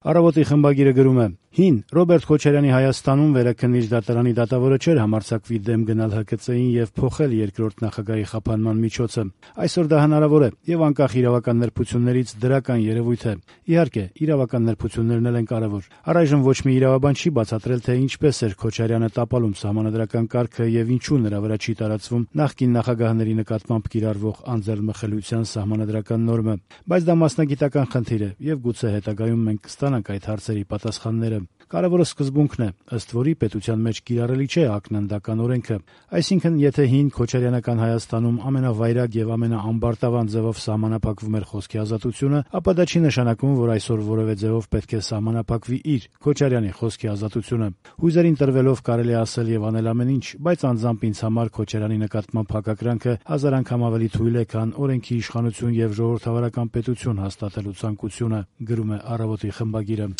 Առավոտի խմբագիրը գրում է. «Հին Ռոբերտ Քոչարյանի Հայաստանում վերաքննիչ դատարանի դատավորը չէր համարձակվի դեմ գնալ ՀԿՑ-ին եւ փոխել երկրորդ նախագահի խափանման միջոցը։ Այսօր դա հնարավոր է եւ անկախ իրավական նրբություններից դրական երևույթ է։ Իհարկե, իրավական նրբություններն էլ են կարեւոր։ Առայժմ ոչ մի իրավաբան չի բացատրել, թե ինչպես էր Քոչարյանը տապալում սահմանադրական կարգը եւ ինչու նրա վրա չի տարածվում նախկին նախագահների նկատմամբ կիրառվող անձեռնմխելիության սահմանադրական նորմը։ Բայց դա մասնագիտական խնդիր է եւ գուցե հետագայում մենք կստանանք այդ հարցերի պատասխանները։ Կարևորը սկզբունքն է, ըստ որի պետության մեջ կիրառելի չէ ակնանդական օրենքը։ Այսինքն, եթե հին քոչարյանական Հայաստանում ամենավայրագ եւ ամենաամբարտավան ձևով սահմանափակվում էր խոսքի ազատությունը, ապա դա չի նշանակում, որ այսօր որևէ ձևով պետք է սահմանափակվի իր Քոչարյանի խոսքի ազատությունը։ Հույզերին տրվելով կարելի է ասել եւ անել ամեն ինչ, բայց անձամբ ինձ համար Քոչարյանի նկատմամբ հակակրանքը հազար անգամ ավելի թույլ է, քան օրենքի իշխանություն եւ ժողովրդավարական պետություն հաստատելու ցանկությունը», գրում է Առավոտի խմբագիրը։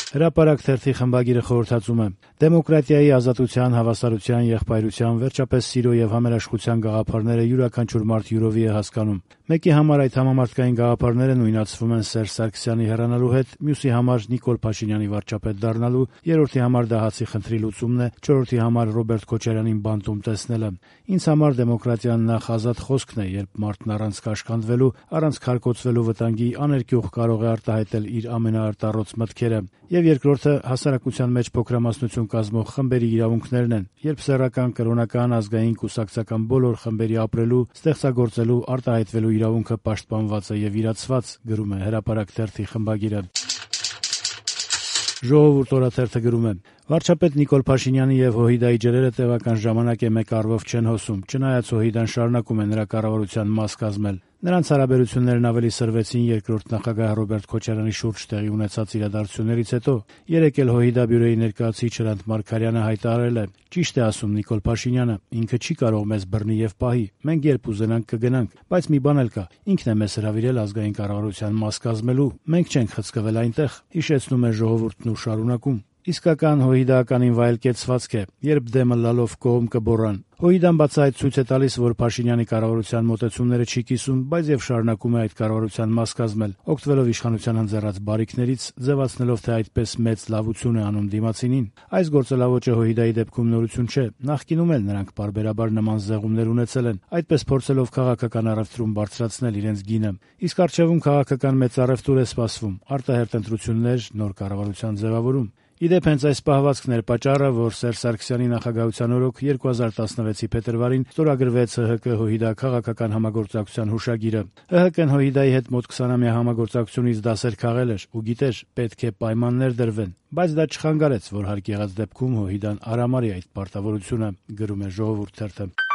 Հրապարակ թերթի խմբագիրը խորհրդածում է. «Դեմոկրատիայի, ազատության, հավասարության, եղբայրության, վերջապես սիրո եւ համերաշխության գաղափարները յուրաքանչյուր մարդ յուրովի է հասկանում։ Մեկի համար այդ համամարտկային գաղափարները նույնացվում են Սերժ Սարգսյանի հեռանալու հետ, մյուսի համար Նիկոլ Փաշինյանի վարչապետ դառնալու, երրորդի համար դա հացի խնդրի լուծումն է, չորրորդի համար Ռոբերտ Քոչարյանին բանտում տեսնելը։ Ինձ համար դեմոկրատիան նախ ազատ խոսքն է, երբ մարդն առանց կաշկանդվելու, առանց քարկոծվելու վտանգի աներկյուղ կարող է արտահայտել իր ամենաարտառոց մտքերը։ Եվ երկրորդը հասարակության մեջ փոքրամասնություն կազմող խմբերի իրավունքներն են, երբ սեռական, կրոնական, ազգային, կուսակցական բոլոր խմբերի ապրելու, ստեղծագործելու, արտահայտվելու իրավունքը պաշտպանված է եւ իրացված», գրում է Հրապարակ թերթի խմբագիրը։ Ժողովուրդ օրաթերթը գրում է. «Վարչապետ Նիկոլ Փաշինյանի եւ ՀՅԴ-ի ջրերը տևական ժամանակ է մեկ առվով չեն հոսում, չնայած ՀՅԴ-ն շարունակում է նրա կառավարության մաս կազմել։ Նրանց հարաբերություններն ավելի սրվեցին երկրորդ նախագահ Ռոբերտ Քոչարյանի շուրջ տեղի ունեցած իրադարձություններից հետո։ Երեկ էլ ՀՅԴ բյուրոյի ներկայացուցիչ Հրանտ Մարգարյանը հայտարարել է. «Ճիշտ է ասում Նիկոլ Փաշինյանը, ինքը չի կարող մեզ բռնի եւ պահի։ Մենք երբ ուզենանք կգնանք, բայց մի բան էլ կա. ինքն է մեզ հրավիրել ազգային կառավարության մաս կազմելու, մենք չենք խցկվել այնտեղ», հիշեցնում է Ժողովուրդն ու շարունակում. «Իսկական ՀՅԴ-ականին վայել կեցվածք է, երբ դեմը լալով կողմ կբոռան։ ՀՅԴ-ն բացահայտ ցույց է տալիս, որ Փաշինյանի կառավարության մոտեցումները չի կիսում, բայց եւ շարունակում է այդ կառավարության մաս կազմել, օգտվելով իշխանության ընձեռած բարիքներից, ձևացնելով, թե այդպես մեծ լավություն է անում դիմացինին։ Այս գործելավոճը ՀՅԴ-ի դեպքում նորություն չէ, նախկինում էլ նրանք պարբերաբար նման զեղումներ ունեցել են, այդպես փորձելով քաղաքական առևտրում բարձրացնել իրենց գինը։ Իսկ առջևում քաղաքական մեծ առևտուր է սպասվում, արտահերթ ընտրություններ, նոր կառավարության ձևավորում։ Իդեպ հենց այս պահվածքն էր պատճառը, որ Սերժ Սարգսյանի նախագահության օրոք 2016-ի փետրվարին ստորագրվեց ՀՀԿ-ՀՅԴ քաղաքական համագործակցության հուշագիրը։ ՀՀԿ-ն ՀՅԴ-ի հետ մոտ 20-ամյա համագործակցությունից դասեր քաղել էր ու գիտեր, պետք է պայմաններ դրվեն, բայց դա չխանգարեց, որ հարկ եղած դեպքում ՀՅԴ-ն արամարի այդ պարտավորությունը», գրում է Ժողովուրդ թերթը։